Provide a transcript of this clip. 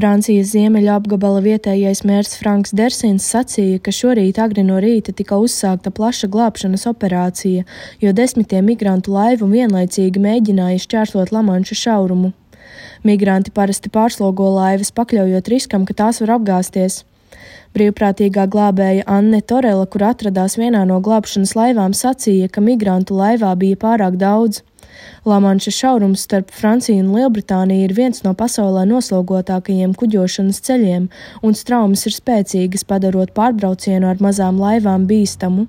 Francijas ziemeļu apgabala vietējais mērs Franks Dersins sacīja, ka šorīt agri no rīta tika uzsākta plaša glābšanas operācija, jo desmitiem migrantu laivu vienlaicīgi mēģināja šķērsot Lamanša šaurumu. Migranti parasti pārslogo laivas, pakļaujot riskam, ka tās var apgāzties. Brīvprātīgā glābēja Anne Torela, kur atradās vienā no glābšanas laivām, sacīja, ka migrantu laivā bija pārāk daudz. Lamanša šaurums starp Franciju un Lielbritāniju ir viens no pasaulē noslogotākajiem kuģošanas ceļiem, un straumes ir spēcīgas, padarot pārbraucienu ar mazām laivām bīstamu.